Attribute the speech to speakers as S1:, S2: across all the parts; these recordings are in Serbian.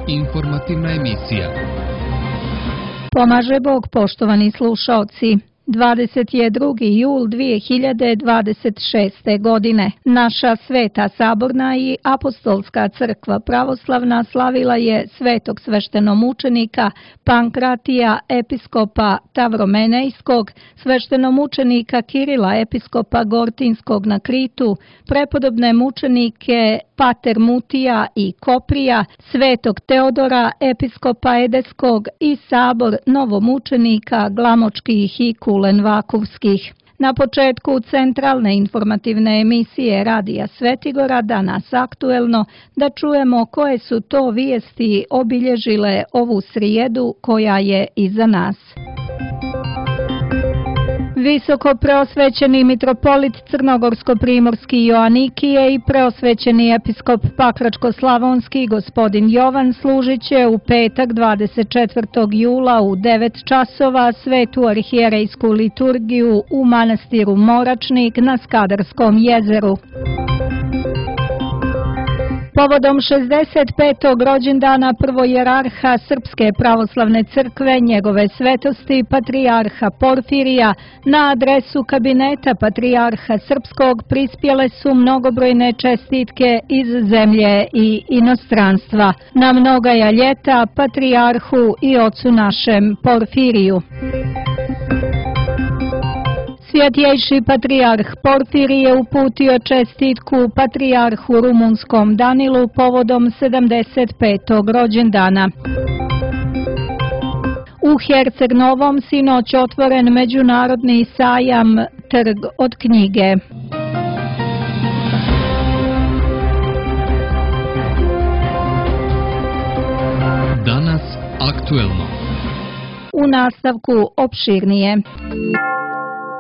S1: Informativna emisija.
S2: Pomaže Bog, poštovani slušaoci. 22. jul 2026. godine. Naša Sveta Saborna i Apostolska crkva pravoslavna slavila je svetog sveštenomučenika Pankratija, episkopa Tavromenejskog, sveštenomučenika Kirila, episkopa Gortinskog na Kritu, prepodobne mučenike Pater Mutija i Koprija, svetog Teodora, episkopa Edeskog i sabor novomučenika Glamočkih i Kulenvakovskih. Na početku centralne informativne emisije Radija Svetigora danas aktuelno da čujemo koje su to vijesti obilježile ovu srijedu koja je iza nas. Visoko preosvećeni mitropolit Crnogorsko-primorski Joanikije i preosvećeni episkop Pakračko-slavonski gospodin Jovan služit će u petak 24. jula u 9 časova svetu arhijerejsku liturgiju u manastiru Moračnik na Skadarskom jezeru. Povodom 65. rođendana prvojerarha Srpske pravoslavne crkve, njegove svetosti patrijarha Porfirija, na adresu kabineta patrijarha Srpskog prispjele su mnogobrojne čestitke iz zemlje i inostranstva. Na mnogaja ljeta patrijarhu i ocu našem Porfiriju. Svjetjejši patrijarh Porfirije uputio čestitku patrijarhu rumunskom Danilu povodom 75. rođendana. U Herceg Novom sinoć otvoren međunarodni sajam Trg od knjige.
S1: Danas aktuelno.
S2: U nastavku opširnije.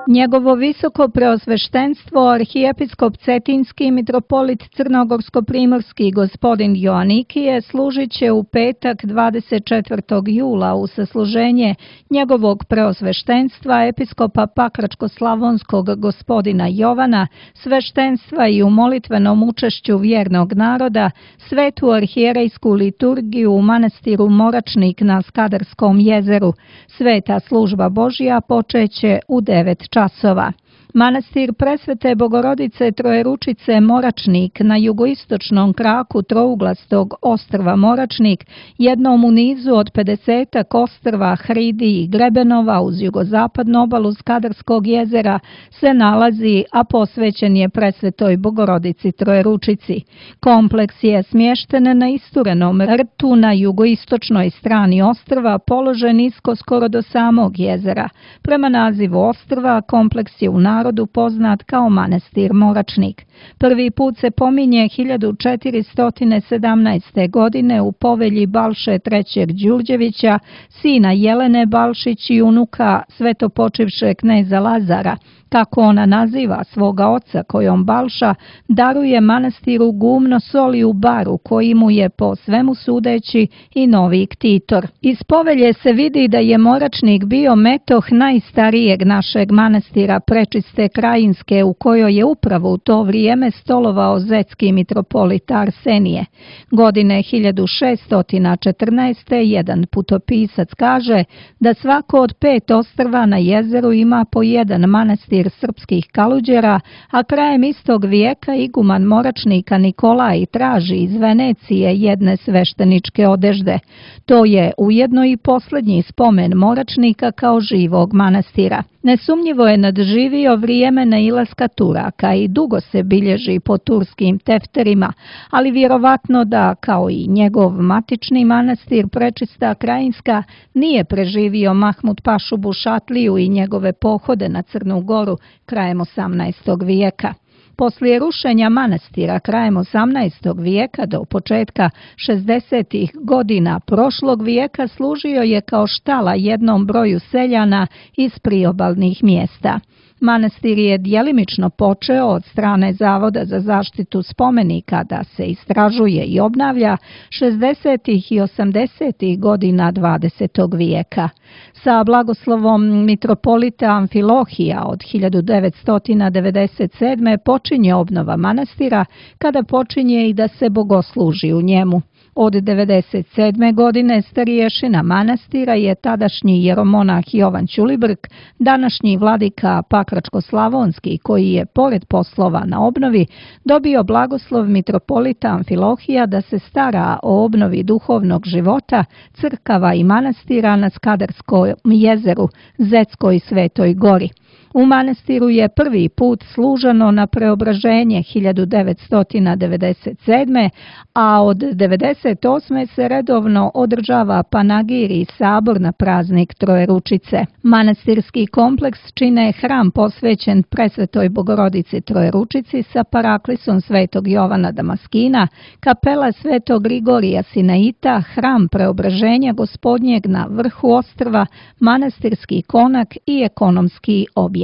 S2: Njegovo visoko preosveštenstvo arhijepiskop Cetinski mitropolit Crnogorsko-primorski gospodin Joanikije služit će u petak 24. jula u sasluženje njegovog preosveštenstva episkopa Pakračko-slavonskog gospodina Jovana, sveštenstva i u molitvenom učešću vjernog naroda, svetu arhijerejsku liturgiju u manastiru Moračnik na Skadarskom jezeru. Sveta služba Božja počeće u 9 časova. Manastir Presvete Bogorodice Trojeručice Moračnik na jugoistočnom kraku trouglastog ostrva Moračnik, jednom u nizu od 50 ostrva Hridi i Grebenova uz jugozapadnu obalu Skadarskog jezera, se nalazi, a posvećen je Presvetoj Bogorodici Trojeručici. Kompleks je smješten na isturenom rtu na jugoistočnoj strani ostrva, položen nisko skoro do samog jezera. Prema nazivu ostrva, kompleks je u narodu poznat kao manastir Moračnik. Prvi put se pominje 1417. godine u povelji Balše III. Đurđevića, sina Jelene Balšić i unuka svetopočivše kneza Lazara, kako ona naziva svoga oca kojom Balša daruje manastiru gumno soli u baru koji mu je po svemu sudeći i novi ktitor. Iz povelje se vidi da je Moračnik bio metoh najstarijeg našeg manastira Prečiste Krajinske u kojoj je upravo u to vrijeme stolovao zetski mitropolit Arsenije. Godine 1614. jedan putopisac kaže da svako od 5 ostrva na jezeru ima po jedan manastir srpskih kaluđera, a krajem istog vijeka iguman Moračnika Nikolaj traži iz Venecije jedne svešteničke odežde. To je ujedno i posljednji spomen Moračnika kao živog manastira. Nesumnjivo je nadživio vrijeme nailaska Turaka i dugo se bilježi po turskim tefterima, ali vjerovatno da, kao i njegov matični manastir Prečista Krajinska, nije preživio Mahmud Pašu Bušatliju i njegove pohode na Crnu Goru krajem 18. vijeka. Poslije rušenja manastira krajem 18. vijeka do početka 60. godina prošlog vijeka služio je kao štala jednom broju seljana iz priobalnih mjesta. Manastir je djelimično počeo od strane Zavoda za zaštitu spomenika da se istražuje i obnavlja 60. i 80. godina 20. vijeka. Sa blagoslovom mitropolita Amfilohija od 1997. počinje obnova manastira, kada počinje i da se bogosluži u njemu. Od 1997. godine starješina manastira je tadašnji jeromonah Jovan Ćulibrk, današnji vladika Pakračko-slavonski, koji je, pored poslova na obnovi, dobio blagoslov mitropolita Amfilohija da se stara o obnovi duhovnog života, crkava i manastira na Skadarskom jezeru, Zetskoj i Svetoj gori. U manastiru je prvi put služeno na preobraženje 1997. a od 1998. se redovno održava panagir i sabor na praznik Trojeručice. Manastirski kompleks čine hram posvećen Presvetoj Bogorodici Trojeručici sa paraklisom Svetog Jovana Damaskina, kapela Svetog Grigorija Sinaita, hram preobraženja Gospodnjeg na vrhu ostrva, manastirski konak i ekonomski objekti.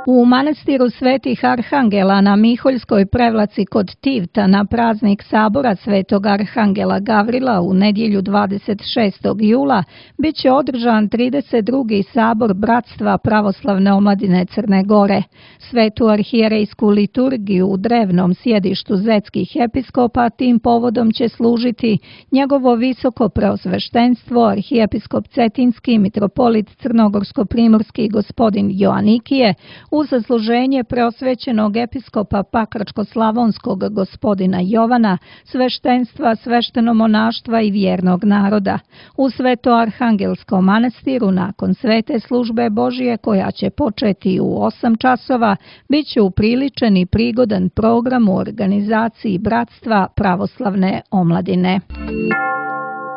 S2: U manastiru Svetih Arhangela na Miholjskoj prevlaci kod Tivta na praznik sabora Svetog Arhangela Gavrila u nedjelju 26. jula bit će održan 32. sabor Bratstva pravoslavne omladine Crne Gore. Svetu arhijerejsku liturgiju u drevnom sjedištu zetskih episkopa tim povodom će služiti njegovo visoko preosveštenstvo arhijepiskop Cetinski mitropolit Crnogorsko-primorski gospodin Joanikije, u zasluženje preosvećenog episkopa Pakračko-slavonskog gospodina Jovana, sveštenstva, sveštenomonaštva i vjernog naroda. U Sveto-Arhangelskom manastiru nakon svete službe Božije, koja će početi u 8 časova, bit će upriličen i prigodan program u organizaciji Bratstva pravoslavne omladine.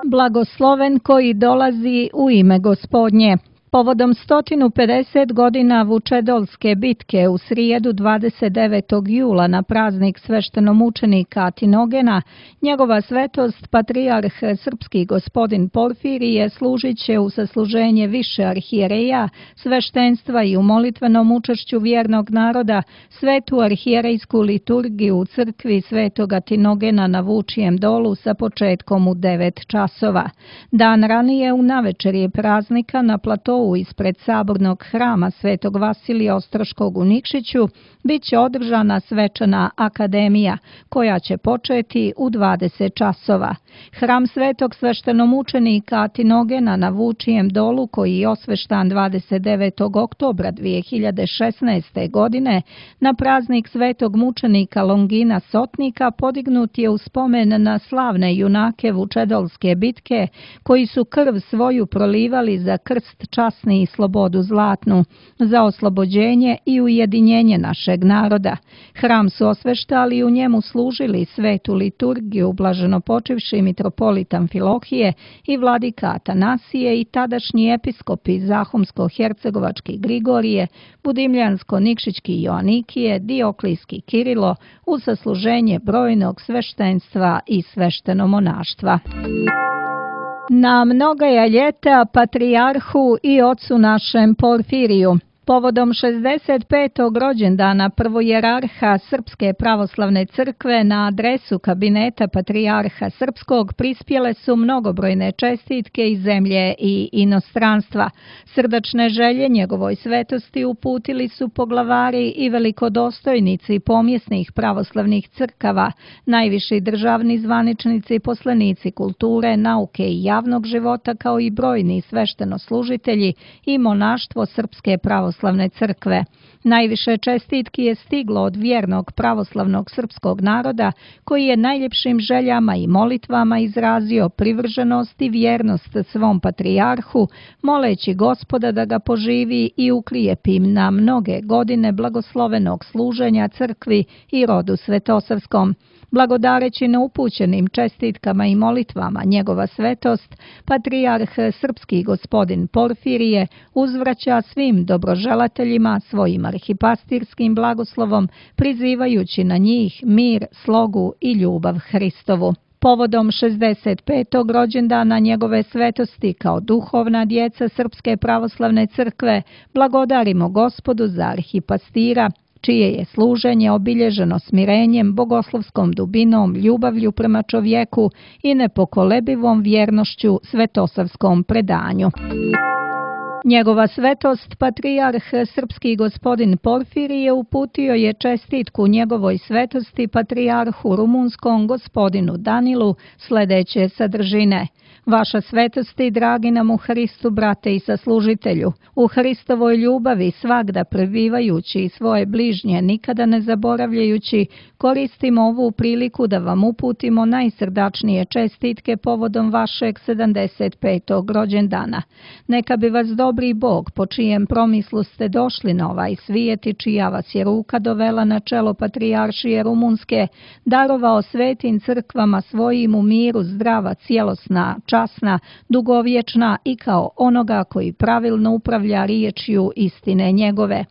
S2: Blagosloven koji dolazi u ime Gospodnje. Povodom 150 godina Vučedolske bitke u srijedu 29. jula na praznik sveštenomučenika Tinogena, njegova svetost patrijarh srpski gospodin Porfirije služit će u sasluženje više arhijereja, sveštenstva i u molitvenom učešću vjernog naroda svetu arhijerejsku liturgiju u crkvi Svetoga Tinogena na Vučijem dolu sa početkom u 9 časova. Dan ranije u navečerje praznika na platovu ispred sabornog hrama Svetog Vasilija Ostroškog u Nikšiću bit će održana svečana akademija, koja će početi u 20 časova. Hram Svetog sveštenomučenika Tinogena na Vučijem dolu, koji je osveštan 29. oktobra 2016. godine, na praznik Svetog mučenika Longina Sotnika podignut je u spomen na slavne junake Vučedolske bitke, koji su krv svoju prolivali za krst časni i slobodu zlatnu, za oslobođenje i ujedinjenje našeg naroda. Hram su osveštali i u njemu služili svetu liturgiju blaženopočivši mitropolit Amfilohije i vladika Atanasije i tadašnji episkopi Zahumsko-hercegovački Grigorije, Budimljansko-nikšićki Joanikije, Dioklijski Kirilo, u sasluženje brojnog sveštenstva i sveštenomonaštva. Na mnoga ljeta patrijarhu i ocu našem Porfiriju. Povodom 65. rođendana prvojerarha Srpske pravoslavne crkve na adresu kabineta patrijarha Srpskog prispjele su mnogobrojne čestitke iz zemlje i inostranstva. Srdačne želje njegovoj svetosti uputili su poglavari i velikodostojnici pomjesnih pravoslavnih crkava, najviši državni zvaničnici, poslenici kulture, nauke i javnog života, kao i brojni sveštenoslužitelji i monaštvo Srpske pravoslavne crkve. Najviše čestitki je stiglo od vjernog pravoslavnog srpskog naroda, koji je najljepšim željama i molitvama izrazio privrženost i vjernost svom patrijarhu, moleći Gospoda da ga poživi i uklijepi na mnoge godine blagoslovenog služenja crkvi i rodu svetosavskom. Blagodareći na upućenim čestitkama i molitvama njegova svetost, patrijarh srpski gospodin Porfirije uzvraća svim dobroželateljima svojim arhipastirskim blagoslovom, prizivajući na njih mir, slogu i ljubav Hristovu. Povodom 65. rođendana njegove svetosti kao duhovna djeca Srpske pravoslavne crkve blagodarimo Gospodu za arhipastira, čije je služenje obilježeno smirenjem, bogoslovskom dubinom, ljubavlju prema čovjeku i nepokolebivom vjernošću svetosavskom predanju. Njegova svetost, patrijarh srpski gospodin Porfirije, uputio je čestitku njegovoj svetosti patrijarhu rumunskom gospodinu Danilu sledeće sadržine. Vaša svetosti, dragi nam u Hristu, brate i saslužitelju, u Hristovoj ljubavi svagda prebivajući svoje bližnje, nikada ne zaboravljajući, koristimo ovu priliku da vam uputimo najsrdačnije čestitke povodom vašeg 75. rođendana. Neka bi vas dobri Bog, po čijem promislu ste došli na ovaj svijet i čija vas je ruka dovela na čelo patrijaršije Rumunske, darovao svetim crkvama svojim u miru zdrava, cijelosna, časna, dugovječna i kao onoga koji pravilno upravlja riječju istine njegove.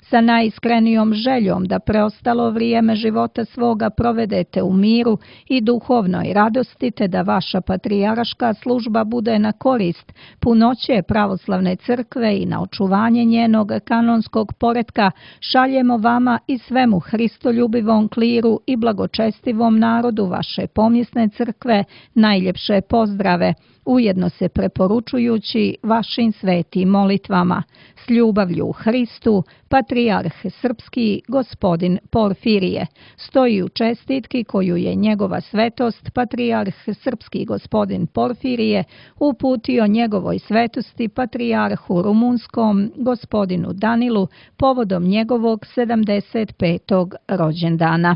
S2: Sa najiskrenijom željom da preostalo vrijeme života svoga provedete u miru i duhovnoj radosti, te da vaša patrijarška služba bude na korist punoće pravoslavne crkve i na očuvanje njenog kanonskog poretka, šaljemo vama i svemu hristoljubivom kliru i blagočestivom narodu vaše pomjesne crkve najljepše pozdrave, ujedno se preporučujući vašim svetim molitvama. S ljubavlju u Hristu, patrijarh srpski gospodin Porfirije. Stoji u čestitki koju je njegova svetost, patrijarh srpski gospodin Porfirije, uputio njegovoj svetosti patrijarhu rumunskom gospodinu Danilu povodom njegovog 75. rođendana.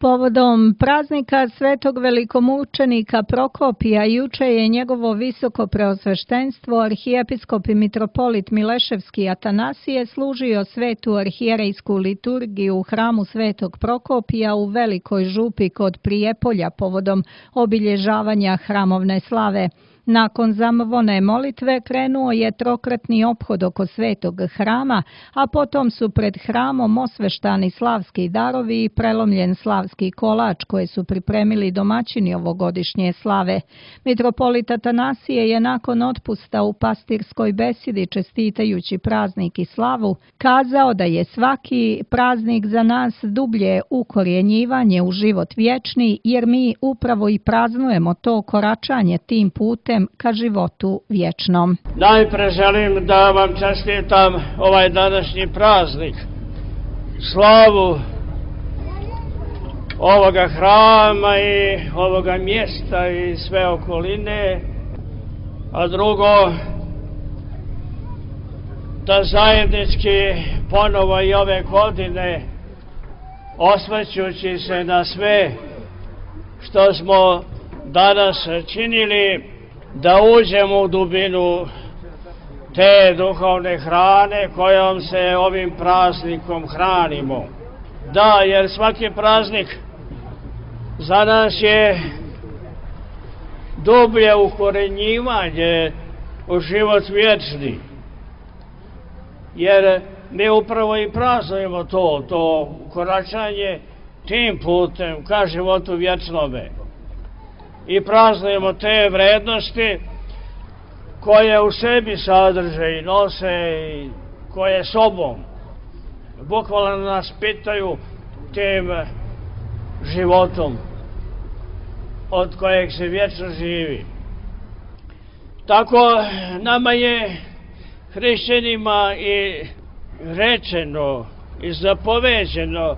S2: Povodom praznika svetog velikomučenika Prokopija juče je njegovo visoko preosveštenstvo arhijepiskop i mitropolit Mileševski Atanasije služio svetu arhijerejsku liturgiju u hramu svetog Prokopija u Velikoj župi kod Prijepolja povodom obilježavanja hramovne slave. Nakon zamvone molitve krenuo je trokratni ophod oko svetog hrama, a potom su pred hramom osveštani slavski darovi i prelomljen slavski kolač koje su pripremili domaćini ovogodišnje slave. Mitropolit Atanasije je nakon otpusta u pastirskoj besedi, čestitajući praznik i slavu, kazao da je svaki praznik za nas dublje ukorjenjivanje u život vječni, jer mi upravo i praznujemo to koračanje tim putem ka životu vječnom.
S3: Najpre želim da vam čestitam ovaj današnji praznik, slavu ovoga hrama i ovoga mjesta i sve okoline, a drugo, da zajednički ponovo i ove godine, osvrćući se na sve što smo danas činili, da uđemo u dubinu te duhovne hrane kojom se ovim praznikom hranimo. Da, jer svaki praznik za nas je dublje ukorenjivanje u život vječni. Jer mi upravo i praznujemo to koračanje tim putem ka životu vječnome. I praznujemo te vrednosti koje u sebi sadrže i nose i koje sobom bukvalno nas pitaju tim životom od kojeg se vječno živi. Tako nama je hrišćanima i rečeno i zapoveđeno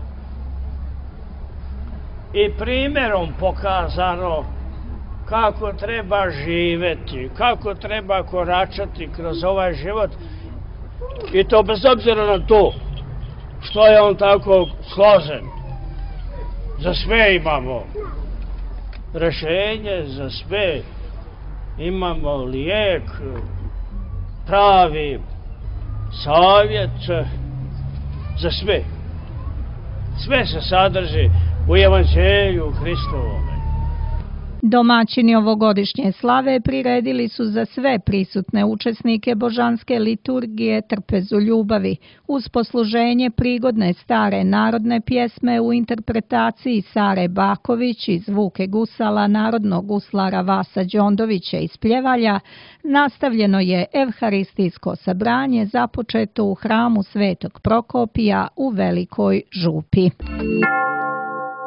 S3: i primjerom pokazano kako treba živjeti, kako treba koračati kroz ovaj život, i to bez obzira na to što je on tako složen. Za sve imamo rješenje, za sve imamo lijek, pravi savjet, za sve. Sve se sadrži u Evanđelju Hristovome.
S2: Domaćini ovogodišnje slave priredili su za sve prisutne učesnike božanske liturgije trpezu ljubavi, uz posluženje prigodne stare narodne pjesme u interpretaciji Sare Baković i zvuke gusala narodnog guslara Vasa Đondovića iz Pljevalja. Nastavljeno je evharistijsko sabranje započeto u hramu Svetog Prokopija u Velikoj župi.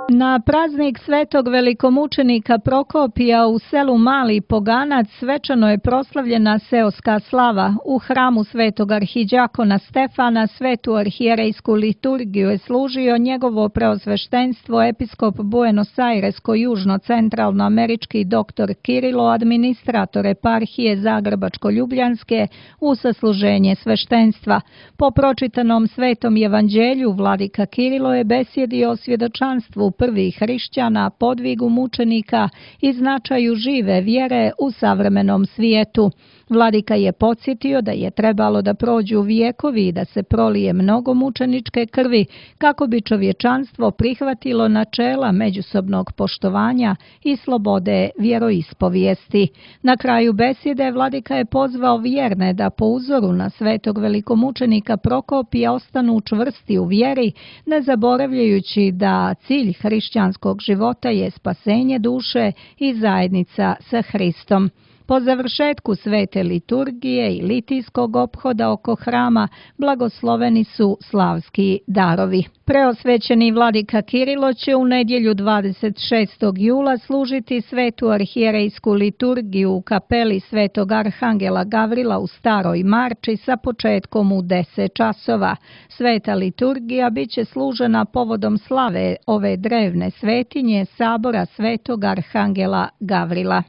S2: Na praznik svetog velikomučenika Prokopija u selu Mali Poganac svečano je proslavljena seoska slava. U hramu svetog arhiđakona Stefana svetu arhijerejsku liturgiju je služio njegovo preosveštenstvo episkop Buenos Airesko-južno-centralnoamerički dr. Kirilo, administrator eparhije Zagrebačko-Ljubljanske, u sasluženje sveštenstva. Po pročitanom svetom evanđelju vladika Kirilo je besjedio o svjedočanstvu prvih hrišćana, podvigu mučenika i značaju žive vjere u savremenom svijetu. Vladika je podsjetio da je trebalo da prođu vijekovi i da se prolije mnogo mučeničke krvi kako bi čovječanstvo prihvatilo načela međusobnog poštovanja i slobode vjeroispovijesti. Na kraju besjede vladika je pozvao vjerne da po uzoru na svetog velikomučenika Prokopija ostanu čvrsti u vjeri, ne zaboravljajući da cilj hrišćanskog života je spasenje duše i zajednica sa Hristom. Po završetku svete liturgije i litijskog ophoda oko hrama blagosloveni su slavski darovi. Preosvećeni vladika Kirilo će u nedjelju 26. jula služiti svetu arhijerejsku liturgiju u kapeli svetog arhangela Gavrila u Staroj Marči sa početkom u 10 časova. Sveta liturgija bit će služena povodom slave ove drevne svetinje sabora svetog arhangela Gavrila.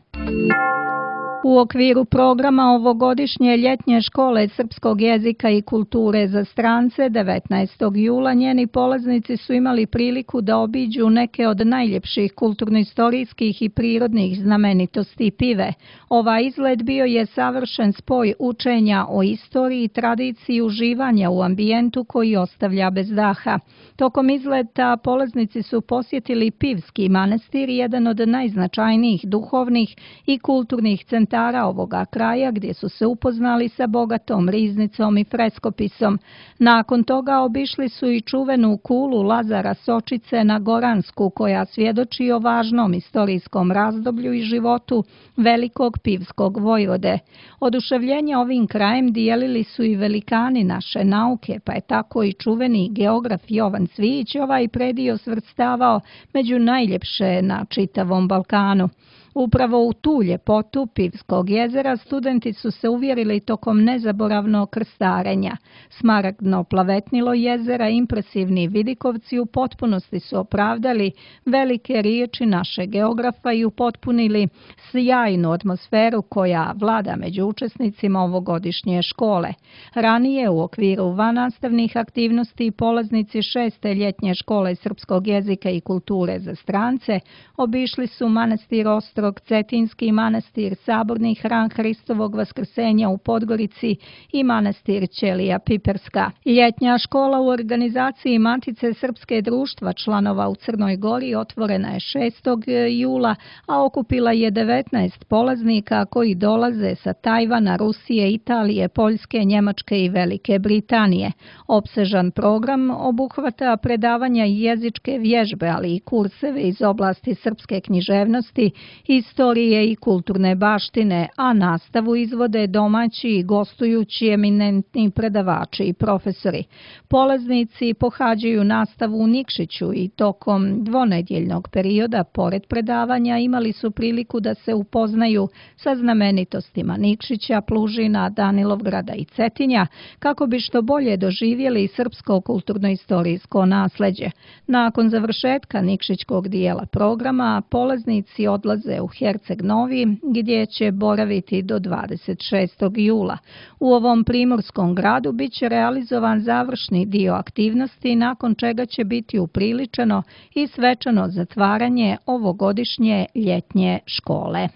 S2: U okviru programa ovogodišnje ljetnje škole srpskog jezika i kulture za strance 19. jula njeni polaznici su imali priliku da obiđu neke od najljepših kulturno-istorijskih i prirodnih znamenitosti Pive. Ovaj izlet bio je savršen spoj učenja o istoriji i tradiciji uživanja u ambijentu koji ostavlja bez daha. Tokom izleta polaznici su posjetili Pivski manastir, jedan od najznačajnijih duhovnih i kulturnih centara ovoga kraja, gdje su se upoznali sa bogatom riznicom i freskopisom. Nakon toga obišli su i čuvenu kulu Lazara Sočice na Goransku, koja svjedoči o važnom istorijskom razdoblju i životu velikog pivskog vojvode. Oduševljenje ovim krajem dijelili su i velikani naše nauke, pa je tako i čuveni geograf Jovan Cvijić ovaj predio svrstavao među najljepše na čitavom Balkanu. Upravo u tu ljepotu Pivskog jezera studenti su se uvjerili tokom nezaboravnog krstarenja. Smaragdno plavetnilo jezera, impresivni vidikovci u potpunosti su opravdali velike riječi naše geografa i upotpunili sjajnu atmosferu koja vlada među učesnicima ovogodišnje škole. Ranije u okviru vannastavnih aktivnosti polaznici 6. ljetnje škole srpskog jezika i kulture za strance obišli su manastir Ostrog, Cetinski manastir, saborni hram Hristovog vaskrsenja u Podgorici i manastir Ćelija Piperska. Ljetnja škola u organizaciji Matice Srpske društva članova u Crnoj Gori otvorena je 6. jula, a okupila je 19 polaznika koji dolaze sa Tajvana, Rusije, Italije, Poljske, Njemačke i Velike Britanije. Opsežan program obuhvata predavanja i jezičke vježbe, ali i kurseve iz oblasti srpske književnosti, istorije i kulturne baštine, a nastavu izvode domaći i gostujući eminentni predavači i profesori. Polaznici pohađaju nastavu u Nikšiću i tokom dvonedjeljnog perioda, pored predavanja, imali su priliku da se upoznaju sa znamenitostima Nikšića, Plužina, Danilovgrada i Cetinja, kako bi što bolje doživjeli srpsko kulturno-istorijsko nasleđe. Nakon završetka nikšićkog dijela programa, polaznici odlaze u Herceg Novi, gdje će boraviti do 26. jula. U ovom primorskom gradu bit će realizovan završni dio aktivnosti, nakon čega će biti upriličeno i svečano zatvaranje ovogodišnje ljetnje škole.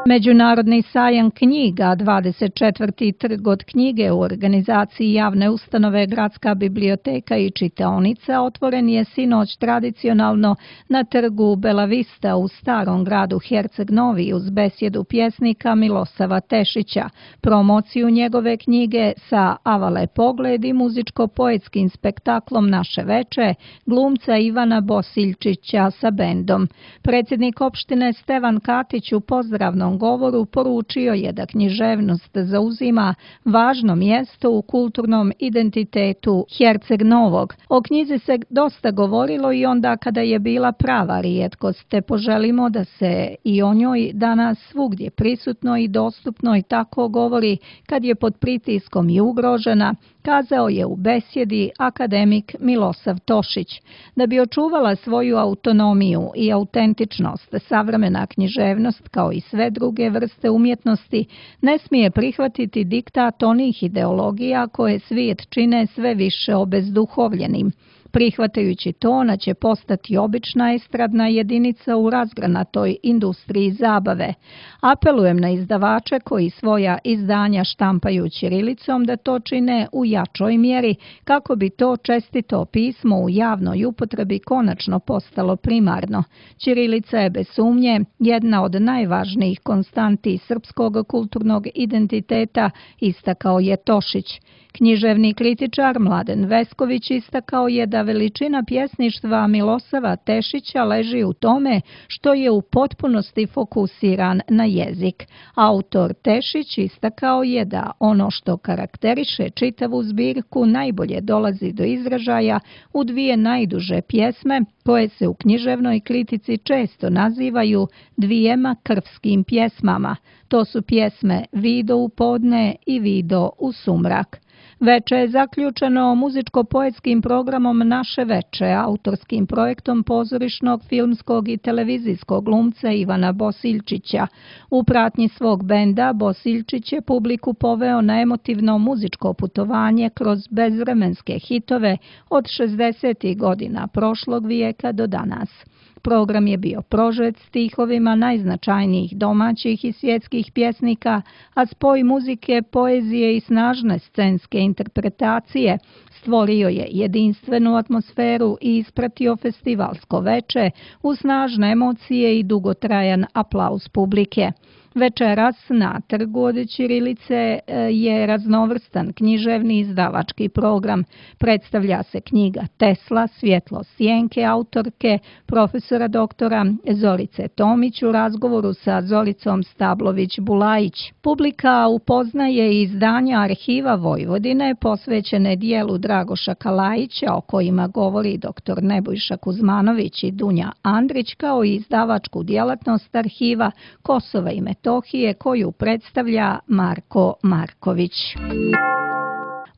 S2: Međunarodni sajam knjiga, 24. trg od knjige u organizaciji javne ustanove Gradska biblioteka i čitaonica otvoren je sinoć tradicionalno na trgu Bela Vista u starom gradu Herceg Novi uz besjedu pjesnika Milosava Tešića, promociju njegove knjige sa Avale pogled i muzičko-poetskim spektaklom Naše veče glumca Ivana Bosiljčića sa bendom. Predsjednik opštine Stevan Katić u pozdravnom otvorenom govoru poručio je da književnost zauzima važno mjesto u kulturnom identitetu Herceg Novog. O knjizi se dosta govorilo i onda kada je bila prava rijetkost, te poželimo da se i o njoj danas svugdje prisutno i dostupno i tako govori kad je pod pritiskom i ugrožena, kazao je u besjedi akademik Milosav Tošić. Da bi očuvala svoju autonomiju i autentičnost, savremena književnost, kao i sve druge vrste umjetnosti, ne smije prihvatiti diktat onih ideologija koje svijet čine sve više obezduhovljenim. Prihvatajući to, ona će postati obična estradna jedinica u razgranatoj industriji zabave. Apelujem na izdavače koji svoja izdanja štampaju ćirilicom da to čine u jačoj mjeri, kako bi to čestito pismo u javnoj upotrebi konačno postalo primarno. Ćirilica je bez sumnje jedna od najvažnijih konstanti srpskog kulturnog identiteta, istakao je Tošić. Književni kritičar Mladen Vesković istakao je da veličina pjesništva Milosava Tešića leži u tome što je u potpunosti fokusiran na jezik. Autor Tešić istakao je da ono što karakteriše čitavu zbirku najbolje dolazi do izražaja u dvije najduže pjesme koje se u književnoj kritici često nazivaju dvijema krvskim pjesmama. To su pjesme Vido u podne i Vido u sumrak. Veče je zaključeno muzičko-poetskim programom Naše veče, autorskim projektom pozorišnog, filmskog i televizijskog glumca Ivana Bosiljčića. U pratnji svog benda Bosiljčić je publiku poveo na emotivno muzičko putovanje kroz bezvremenske hitove od 60. godina prošlog vijeka do danas. Program je bio prožet stihovima najznačajnijih domaćih i svjetskih pjesnika, a spoj muzike, poezije i snažne scenske interpretacije stvorio je jedinstvenu atmosferu i ispratio festivalsko veče u snažne emocije i dugotrajan aplauz publike. Večeras na trgu od ćirilice je raznovrstan književni izdavački program. Predstavlja se knjiga Tesla, svjetlo sjenke autorke profesora doktora Zorice Tomić u razgovoru sa Zoricom Stablović-Bulajić. Publika upoznaje izdanja Arhiva Vojvodine posvećene dijelu Dragoša Kalajića, o kojima govori dr. Nebojša Kuzmanović i Dunja Andrić, kao i izdavačku djelatnost Arhiva Kosova i Metohije koju predstavlja Marko Marković.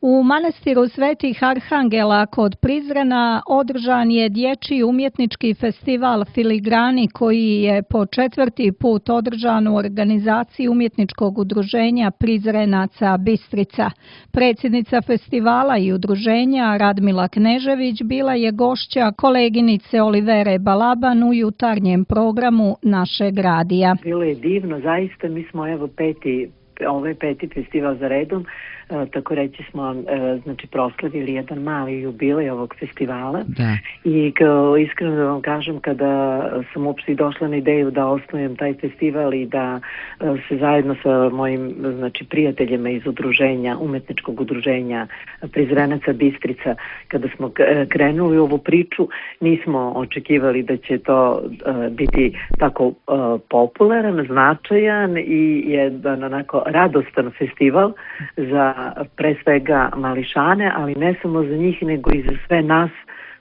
S2: U manastiru Svetih Arhangela kod Prizrena održan je dječji umjetnički festival Filigrani koji je po 4. put održan u organizaciji umjetničkog udruženja Prizrenaca Bistrica. Predsjednica festivala i udruženja Radmila Knežević bila je gošća koleginice Olivere Balaban u jutarnjem programu našeg radija.
S4: Bilo je divno, zaista, mi smo ovaj peti festival za redom, tako reći smo proslavili jedan mali jubilej ovog festivala. Da. I iskreno da vam kažem, kada sam uopšte došla na ideju da osnujem taj festival i da se zajedno sa mojim prijateljima iz udruženja, umetničkog udruženja Prizrenaca Bistrica, kada smo krenuli u ovu priču, nismo očekivali da će to biti tako popularan, značajan i jedan onako radostan festival za pre svega mališane, ali ne samo za njih, nego i za sve nas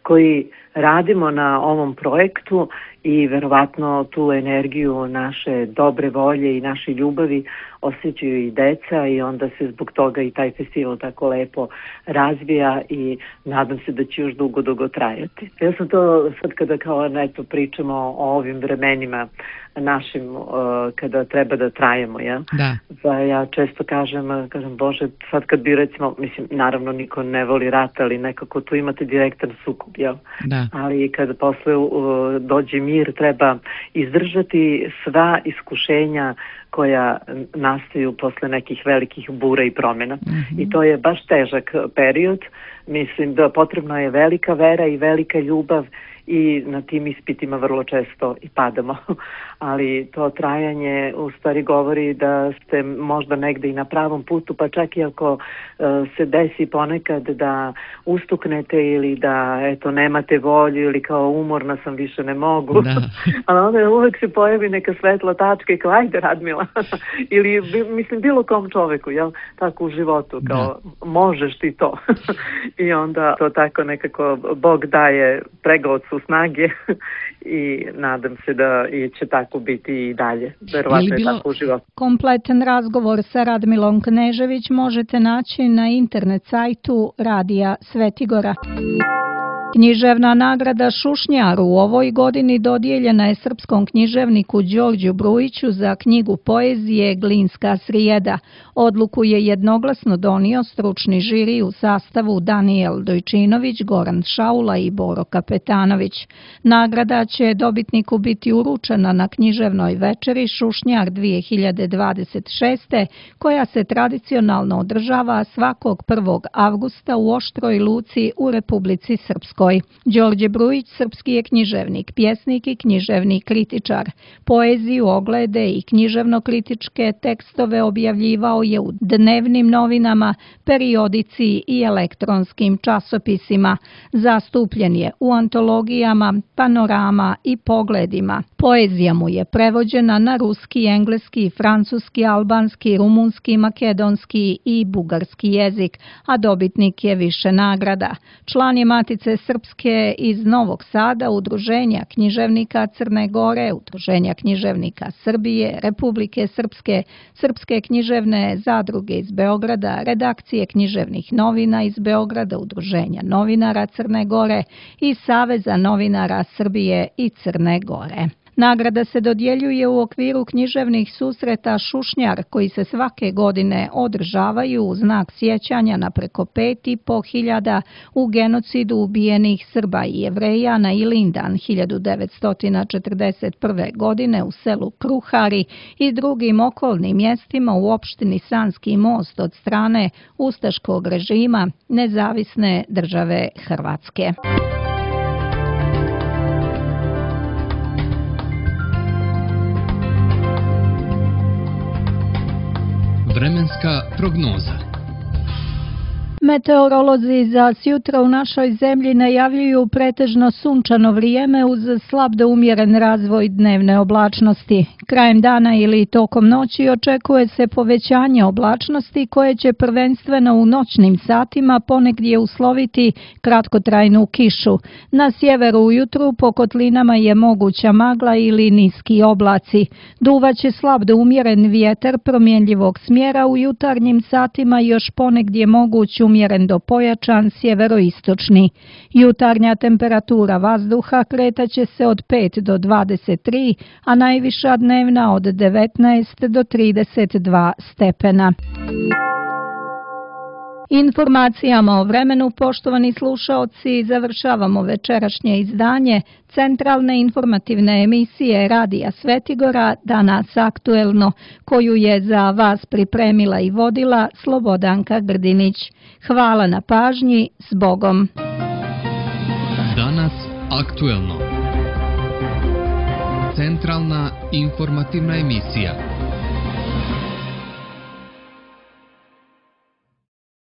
S4: koji radimo na ovom projektu i verovatno tu energiju naše dobre volje i naše ljubavi osjećaju i deca i onda se zbog toga i taj festival tako lepo razvija i nadam se da će još dugo trajati. Ja sam to sad kada pričamo o ovim vremenima našim kada treba da trajemo, ja? Da. Pa ja često kažem Bože, sad kad bi recimo, naravno niko ne voli rat, ali nekako tu imate direktan sukob, jel? Da. Ali kada posle dođe mir, treba izdržati sva iskušenja koja nastaju posle nekih velikih bura i promjena. I to je baš težak period. Mislim da potrebna je velika vera i velika ljubav i na tim ispitima vrlo često i padamo. Ali to trajanje u stvari govori da ste možda negde i na pravom putu, pa čak i ako se desi ponekad da ustuknete ili da eto nemate volju ili kao umorna sam, više ne mogu. Ali onda uvek se pojavi neka svetla tačka i kao ajde Radmila ili mislim bilo kom čoveku, jel? Tako u životu, kao možeš ti to. I onda to tako nekako Bog daje pregocu snage i nadam se da će tako biti i dalje. Verovatno je tako u životu.
S2: Kompletan razgovor sa Radmilom Knežević možete naći na internet sajtu Radija Svetigora. Književna nagrada Šušnjar u ovoj godini dodijeljena je srpskom književniku Đorđu Brujiću za knjigu poezije Glinska srijeda. Odluku je jednoglasno donio stručni žiri u sastavu Danijel Dojčinović, Goran Šaula i Boro Kapetanović. Nagrada će dobitniku biti uručena na književnoj večeri Šušnjar 2026. koja se tradicionalno održava svakog 1. avgusta u Oštroj Luci u Republici Srpskoj. Đorđe Brujić srpski je književnik, pjesnik i književni kritičar. Poeziju, oglede i književno-kritičke tekstove objavljivao je u dnevnim novinama, periodici i elektronskim časopisima. Zastupljen je u antologijama, panorama i pogledima. Poezija mu je prevođena na ruski, engleski, francuski, albanski, rumunski, makedonski i bugarski jezik, a dobitnik je više nagrada. Član je Matice Srpske iz Novog Sada, Udruženja književnika Crne Gore, Udruženja književnika Srbije, Republike Srpske, Srpske književne zadruge iz Beograda, Redakcije književnih novina iz Beograda, Udruženja novinara Crne Gore i Saveza novinara Srbije i Crne Gore. Nagrada se dodjeljuje u okviru književnih susreta Šušnjar koji se svake godine održavaju u znak sjećanja na preko 5.500 u genocidu ubijenih Srba i Jevreja na Ilindan 1941. godine u selu Kruhari i drugim okolnim mjestima u opštini Sanski Most od strane ustaškog režima Nezavisne države Hrvatske.
S1: Vremenska prognoza.
S2: Meteorolozi za sjutra u našoj zemlji najavljuju pretežno sunčano vrijeme uz slab do umjeren razvoj dnevne oblačnosti. Krajem dana ili tokom noći očekuje se povećanje oblačnosti koje će prvenstveno u noćnim satima ponegdje usloviti kratkotrajnu kišu. Na sjeveru ujutru po kotlinama je moguća magla ili niski oblaci. Duvaće slab do umjeren vjetar promjenljivog smjera, u jutarnjim satima još ponegdje moguć umjeren do pojačan sjeveroistočni. Jutarnja temperatura vazduha kretaće se od 5 do 23, a najviša dnevna od 19 do 32 stepena. Informacijama o vremenu, poštovani slušaoci, završavamo večerašnje izdanje centralne informativne emisije Radija Svetigora Danas aktuelno, koju je za vas pripremila i vodila Slobodanka Grdinić. Hvala na pažnji, s Bogom.
S1: Danas aktuelno. Centralna informativna emisija.